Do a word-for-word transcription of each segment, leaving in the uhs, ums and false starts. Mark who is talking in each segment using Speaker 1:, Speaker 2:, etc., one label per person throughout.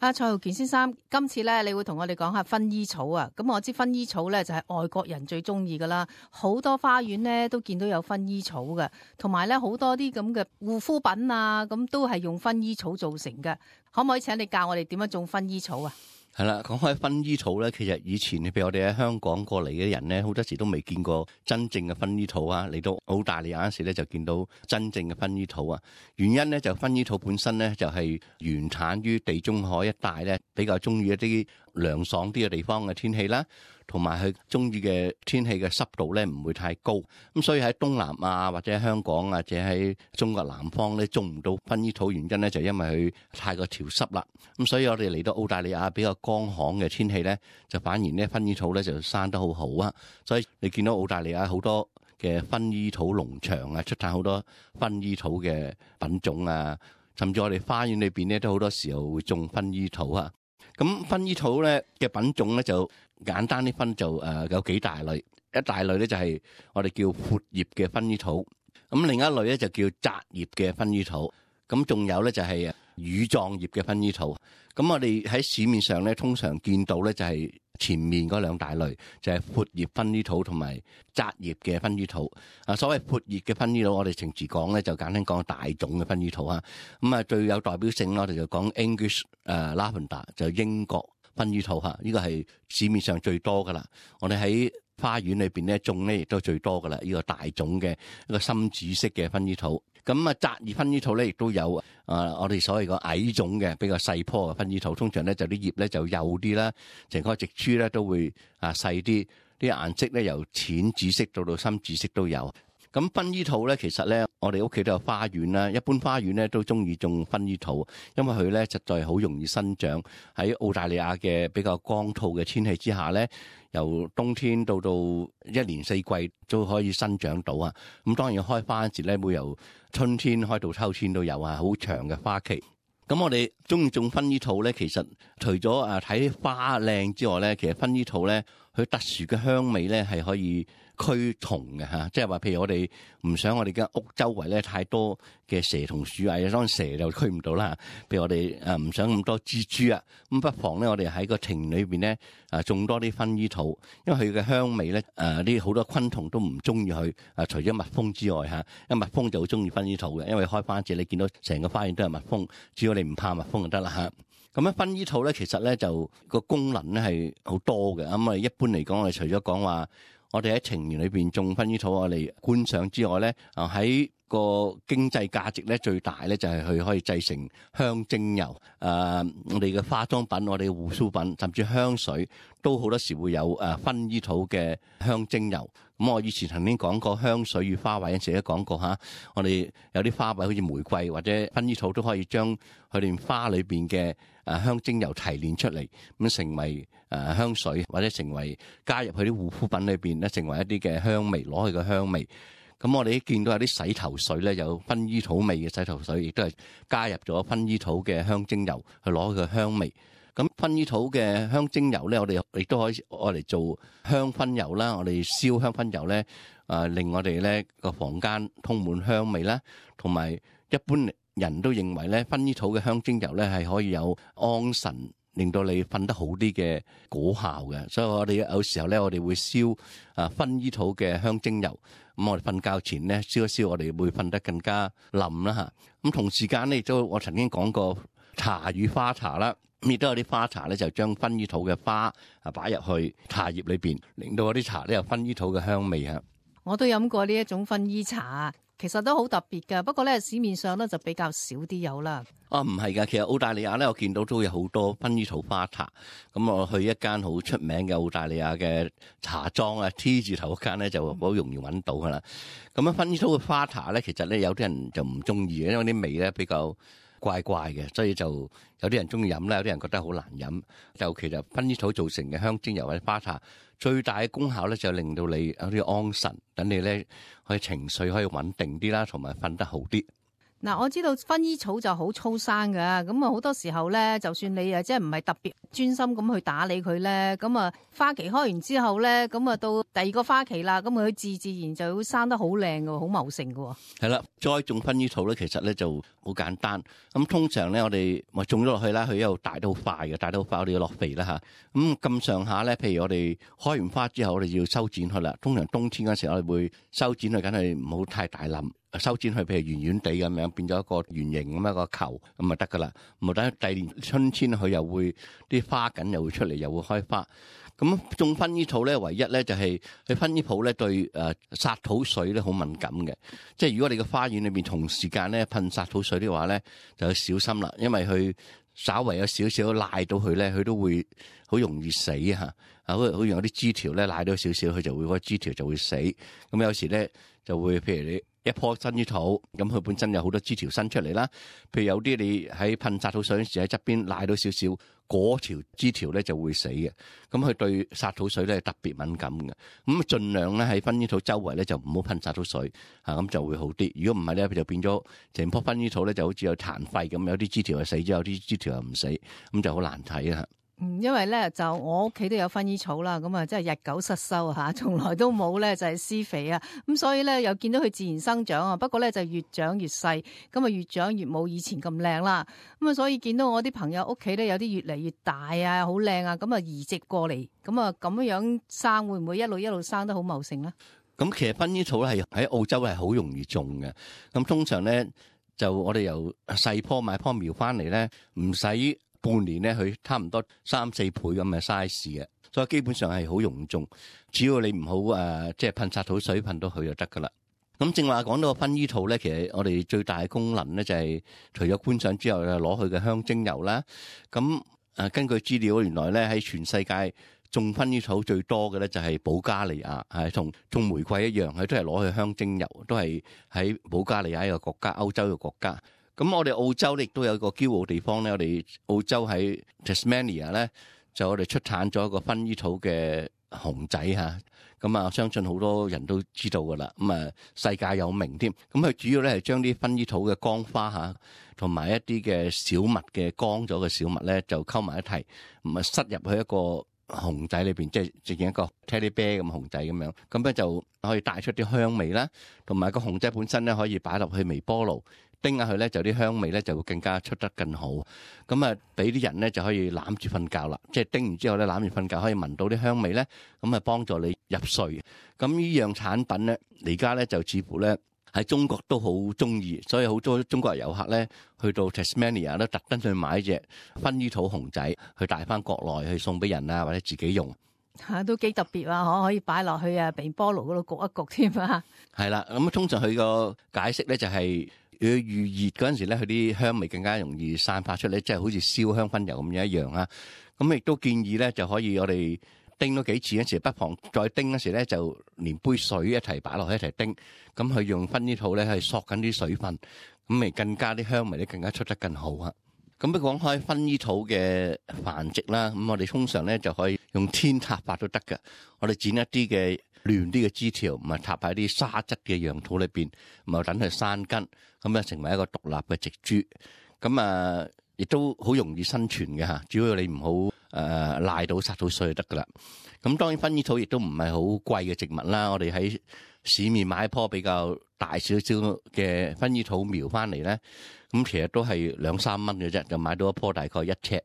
Speaker 1: 啊，蔡浩健先生，今次咧你會同我哋講下薰衣草啊。咁我知薰衣草咧就係外國人最中意噶啦，好多花園咧都見到有薰衣草嘅，同埋咧好多啲咁嘅護膚品啊，咁都係用薰衣草做成嘅。可唔可以請你教我哋點樣種薰衣草啊？
Speaker 2: 係啦，講開薰衣草咧，其實以前譬如我哋喺香港過嚟嘅人咧，好多時都未見過真正嘅薰衣草啊。嚟到澳大利亞嗰時咧，就見到真正嘅薰衣草啊。原因咧就薰衣草本身咧就係原產於地中海一帶咧，比較中意一啲涼爽啲嘅地方嘅天氣啦，同埋佢中意嘅天氣嘅濕度咧唔會太高。咁所以喺東南亞或者香港或者喺中國南方咧種唔到薰衣草，原因咧就因為佢太過潮濕啦。咁所以我哋嚟到澳大利亞比較乾旱嘅天氣咧，就反而咧薰衣草咧就生得好好啊。所以你見到澳大利亞好多嘅薰衣草農場啊，出產好多薰衣草嘅品種啊，甚至我哋花園裏邊咧都好多時候會種薰衣草啊。咁薰衣草咧嘅品種咧就簡單啲分就誒有幾大類，一大類咧就係我哋叫闊葉嘅薰衣草，咁另一類咧就叫窄葉嘅薰衣草，咁仲有咧就係羽狀葉嘅薰衣草。咁我哋喺市面上咧通常見到咧就係前面嗰兩大類，就係闊葉薰衣草同埋窄葉嘅薰衣草。啊，所謂闊葉嘅薰衣草，我哋平時講咧就簡單講大種嘅薰衣草啊。咁啊最有代表性我哋就講 English 誒 Lavender 就英國薰衣草嚇，呢個係市面上最多噶啦。我哋喺花園裏邊咧種咧亦都最多噶啦，呢個大種嘅一個深紫色嘅薰衣草。咁啊，窄葉薰衣草咧亦都有啊，我哋所謂個矮種嘅比較細棵嘅薰衣草，通常咧就啲葉咧就幼啲啦，成個植株咧都會啊細啲，啲顏色咧由淺紫色到到深紫色都有。咁薰衣草咧，其實咧，我哋屋企都有花園啦。一般花園咧都中意種薰衣草，因為佢咧實在好容易生長。喺澳大利亞嘅比較乾燥嘅天氣之下咧，由冬天到到一年四季都可以生長到啊。咁當然開花嗰時咧，會由春天開到秋天都有啊，好長嘅花期。咁我哋中意種薰衣草咧，其實除咗啊睇花靚之外咧，其實薰衣草咧佢特殊嘅香味咧係可以驅蟲嘅嚇，即係話譬如我哋唔想我哋間屋周圍咧太多嘅蛇同鼠蟻，當然蛇就驅唔到啦。譬如我哋誒唔想咁多蜘蛛啊，咁不妨咧我哋喺個庭裏邊咧啊種多啲薰衣草，因為佢嘅香味咧誒啲好多昆蟲都唔中意佢啊，除咗蜜蜂之外嚇，因為蜜蜂就好中意薰衣草嘅，因為開花時你見到成個花園都係蜜蜂，只要你唔怕蜜蜂就得啦嚇。咁樣薰衣草咧其實咧就個功能咧係好多嘅。咁啊一般嚟講，我哋除咗講話我哋喺庭園裏邊種薰衣草我哋觀賞之外咧，啊喺個經濟價值咧最大咧就係佢可以製成香精油，誒、呃、我哋嘅化妝品、我哋嘅護膚品，甚至香水都好多時會有誒薰衣草嘅香精油。咁我以前曾經講過香水與花卉，有時都講過嚇，我哋有啲花卉好似玫瑰或者薰衣草都可以將佢哋花裏邊嘅誒香精油提煉出嚟，咁成為誒香水或者成為加入佢啲護膚品裏邊咧，成為一啲嘅香味，攞佢嘅香味。咁我哋一見到有啲洗頭水咧，有薰衣草味嘅洗頭水，亦都係加入咗薰衣草嘅香精油去攞佢嘅香味。咁薰衣草嘅香精油咧，我哋亦都可以攞嚟做香薰油啦。我哋燒香薰油咧，啊令我哋咧個房間充滿香味啦。同埋一般人都認為咧，薰衣草嘅香精油咧係可以有安神，令到你瞓得好啲嘅果效嘅。所以我哋有時候咧，我哋會燒啊薰衣草嘅香精油。咁我哋瞓覺前咧燒一燒，我哋會瞓得更加冧啦嚇。咁同時間咧，亦都我曾經講過茶與花茶啦。咁亦都有啲花茶咧，就將薰衣草嘅花啊擺入去茶葉裏邊，令到嗰啲茶咧有薰衣草嘅香味嚇。
Speaker 1: 我都飲過呢一種薰衣茶，其實都好特別㗎。不過咧，市面上咧就比較少啲有啦。
Speaker 2: 啊，唔係㗎，其實澳大利亞咧，我見到都有好多薰衣草花茶。咁我去一間好出名嘅澳大利亞嘅茶莊啊 ，T 字頭嗰間咧就好容易揾到㗎啦。咁啊，薰衣草嘅花茶咧，其實咧有啲人就唔中意嘅，因為啲味咧比較怪怪嘅，所以就有啲人中意飲啦，有啲人覺得好難飲。就其實薰衣草造成嘅香精油或者花茶，最大嘅功效咧就令到你有啲安神，等你咧可以情緒可以穩定啲啦，同埋瞓得好啲。
Speaker 1: 嗱，我知道薰衣草就好粗生㗎，咁啊好多時候咧，就算你啊即係唔係特別專心咁去打理佢咧，咁啊花期開完之後咧，咁啊到第二個花期啦，咁佢自自然就會生得好靚㗎，好茂盛㗎。
Speaker 2: 係啦，栽種薰衣草咧，其實咧就好簡單。咁通常咧，我哋咪種咗落去啦，佢一路大得好快嘅，大得好快，我哋要落肥啦嚇。咁咁上下咧，譬如我哋開完花之後，我哋要修剪佢啦。通常冬天嗰時候，我哋會修剪佢，梗係唔好太大冧。修剪佢，譬如圓圓地咁樣，變咗一個圓形咁一個球咁就得噶啦。唔等第二年春天佢又會啲花緊又會出嚟，又會開花。咁種薰衣草咧，唯一咧就係佢薰衣草咧對誒殺土水咧好敏感嘅。即係如果你個花園裏邊同時間咧噴殺土水的話咧，就要小心啦，因為佢稍為有少少賴到佢咧，佢都會好容易死嚇。啊，好好似有啲枝條咧賴到少少，佢就會嗰個枝條就會死。咁有時咧就會譬如你。一棵薰衣草，咁佢本身有好多枝條伸出嚟啦。譬如有啲你喺噴殺土水嗰時喺側邊賴到少少，嗰條枝條咧就會死嘅。咁佢對殺土水咧特別敏感嘅。咁盡量咧喺薰衣草周圍咧就唔好噴殺土水，嚇咁就會好啲。如果唔係咧，就變咗成棵薰衣草咧就好似有殘廢咁，有啲枝條係死咗，有啲枝條又唔死，咁就好難睇啊。
Speaker 1: 嗯，因為咧就我屋企都有薰衣草啦，咁啊真係日久失修嚇，從來都冇咧就係施肥啊，咁所以咧又見到佢自然生長啊，不過咧就越長越細，咁啊越長越冇以前咁靚啦，咁啊所以見到我啲朋友屋企咧有啲越嚟越大啊，好靚啊，咁啊移植過嚟，咁啊咁樣生會唔會一路一路生得好茂盛咧？咁
Speaker 2: 其實薰衣草咧係喺澳洲係好容易種嘅，咁通常咧就我哋由細棵買棵苗翻嚟咧，唔使半年咧，佢差唔多三四倍咁嘅 size 嘅，所以基本上係好容易種，只要你唔好誒，即係噴殺土水噴到佢就得噶啦。咁正話講到個薰衣草咧，其實我哋最大嘅功能咧就係除咗觀賞之後，就攞佢嘅香精油啦。咁誒根據資料，原來咧喺全世界種薰衣草最多嘅咧就係保加利亞，係同種玫瑰一樣，佢都係攞佢香精油，都係喺保加利亞一個國家，歐洲嘅國家。咁我哋澳洲咧亦都有一個驕傲地方咧，我哋澳洲喺 Tasmania 咧，就我哋出產咗一個薰衣草嘅熊仔嚇，咁啊相信好多人都知道噶啦，咁啊世界有名添。咁佢主要咧係將啲薰衣草嘅乾花嚇，同埋一啲嘅小麥嘅乾咗嘅小麥咧，就溝埋一齊，咁啊塞入去一個熊仔裏邊，即係直情一個 teddy bear 咁熊仔咁樣，咁咧就可以帶出啲香味啦，同埋個熊仔本身咧可以擺落去微波爐叮下佢咧，就啲香味咧就會更加出得更好。咁啊，俾啲人咧就可以攬住瞓覺啦，即係叮完之後咧攬住瞓覺，可以聞到啲香味咧，咁啊幫助你入睡。咁呢樣產品咧，而家咧就似乎咧喺中國都好中意，所以好多中國遊客咧去到 Tasmania 都特登去買隻薰衣草熊仔，去帶翻國內去送俾人啊，或者自己用。嚇，都幾特別啊！可可以擺落去啊微波爐嗰度焗一焗添啊。係啦，咁通常佢個解釋咧就係、是。佢預熱嗰陣時咧，佢啲香味更加容易散發出嚟，即係好似燒香薰油咁樣一樣啊！咁亦都建議咧，就可以我哋叮多幾次嗰時，不妨再叮嗰時咧，就連杯水一齊擺落去一齊叮，咁佢用薰衣草咧係索緊啲水分，咁咪更加啲香味咧更加出得更好啊！咁不過講開薰衣草嘅繁殖啦，咁我哋通常咧就可以用天塌法都得㗎，我哋剪一啲嘅亂啲嘅枝條，唔係插喺啲沙質嘅壤土裏邊，唔係等佢生根，咁啊成為一個獨立嘅植株。咁啊，亦都好容易生存嘅嚇，只要你唔好誒賴到殺到水就得噶啦。咁當然薰衣草亦都唔係好貴嘅植物啦，我哋喺市面買一棵比較大少少嘅薰衣草苗翻嚟咧，咁其實都係兩三蚊嘅啫，就買到一棵大概一尺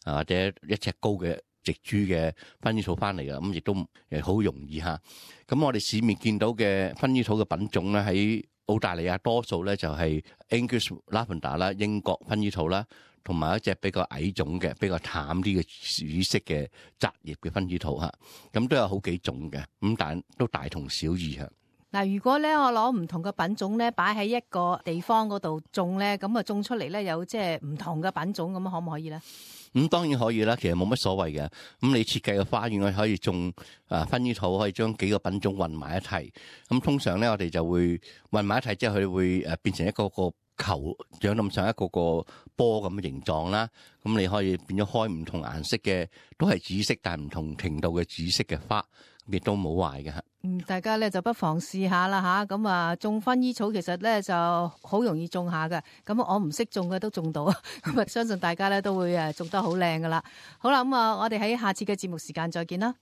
Speaker 2: 啊或者一尺高嘅植株嘅薰衣草翻嚟嘅，咁亦都誒好容易嚇。咁我哋市面見到嘅薰衣草嘅品種咧，喺澳大利亞多數咧就係 English Lavender 啦，英國薰衣草啦，同埋一隻比較矮種嘅、比較淡啲嘅紫色嘅雜葉嘅薰衣草嚇。咁都有好幾種嘅，咁但都大同小異嚇。嗱，如果咧我攞唔同嘅品種咧擺喺一個地方嗰度種咧，咁啊種出嚟咧有即係唔同嘅品種，咁可唔可以咧？咁、嗯、當然可以啦，其實冇乜所謂嘅。咁你設計嘅花園，我可以種啊薰衣草，可以將幾個品種混埋一齊。咁通常咧，我哋就會混埋一齊之後，佢會誒變成一個個球長咁上一個個波咁嘅形狀啦。咁你可以變咗開唔同顏色嘅，都係紫色，但係唔同程度嘅紫色嘅花。亦都冇壞嘅嚇。
Speaker 1: 嗯，大家咧就不妨試下啦吓，咁啊種薰衣草其實咧就好容易種下嘅，咁我唔識種嘅都種到，咁啊相信大家咧都會誒種得好靚噶啦。好啦，咁啊我哋喺下次嘅節目時間再見啦。